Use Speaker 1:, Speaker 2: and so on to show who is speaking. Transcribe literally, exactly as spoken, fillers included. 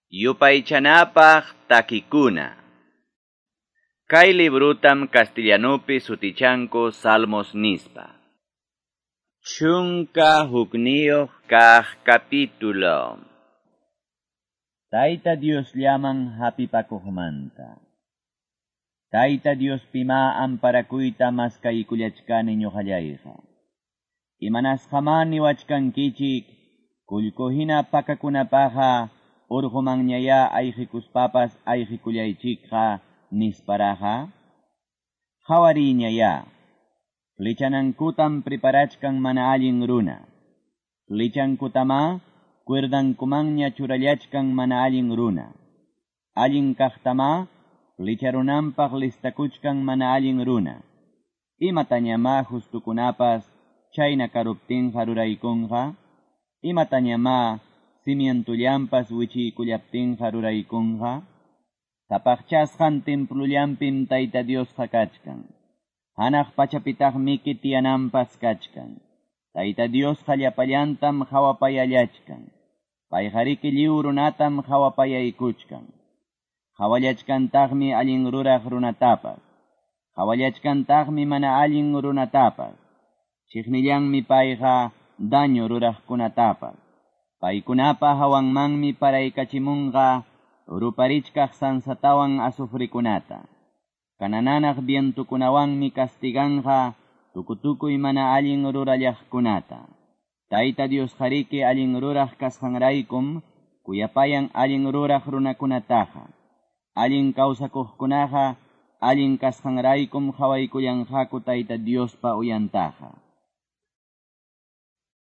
Speaker 1: Yupaychanapaq takikuna. Kay librutam castellanupi sutichanku Salmos nispa. Chunka hukniyuq kaq capítulo. Tayta Diosllaman hapipakuqmanta. Tayta Diospimá amparakuyta maskaykullachkani ñuqallayqa. Imanasqamá niwachkankichik kullku hina pakakunapaqqa urqumanñayá ayqikuspapas ayqikullaychikqa nisparaqa. Qhawariyñayá. Flechanankutam preparachkan mana allin runa. Flechankutamá cuerdankumanña churallachkan mana allin runa. Allin kaqtamá flecharunanpaq listakuchkan mana allin runa. Imatañamá justukunapas chayna karuptinqa ruraykunqa. Imatañamá cimientullanpas wichiykullaptinqa ruraykunqa. Sapaqchasqan templullampim Tayta Diosqa kachkan. Hanaq pachapitaqmiki tiyananpas kachkan. Tayta Diosqa llapallantam qhawapayallachkan. Payqariki lliw runatam qhawapayaykuchkan. Qhawallachkantaqmi allin ruraq runatapas. Qhawallachkantaqmi mana allin runatapas. Chiqnillanmi payqa daño ruraqkunatapas. Paykunapa hawanmanmi paraykachimunqa ruparichkaq sansatawan azufrikunata. Kanananaq vientukunawanmi castiganqa tukutukuy mana allin rurallaqkunata. Tayta Diosqariki allin ruraq kasqanraykum kuyapayan allin ruraq runakunataqa. Allin kawsakuqkunaqa allin kasqanraykum qhawaykullanqaku Tayta Diospa uyantaqa.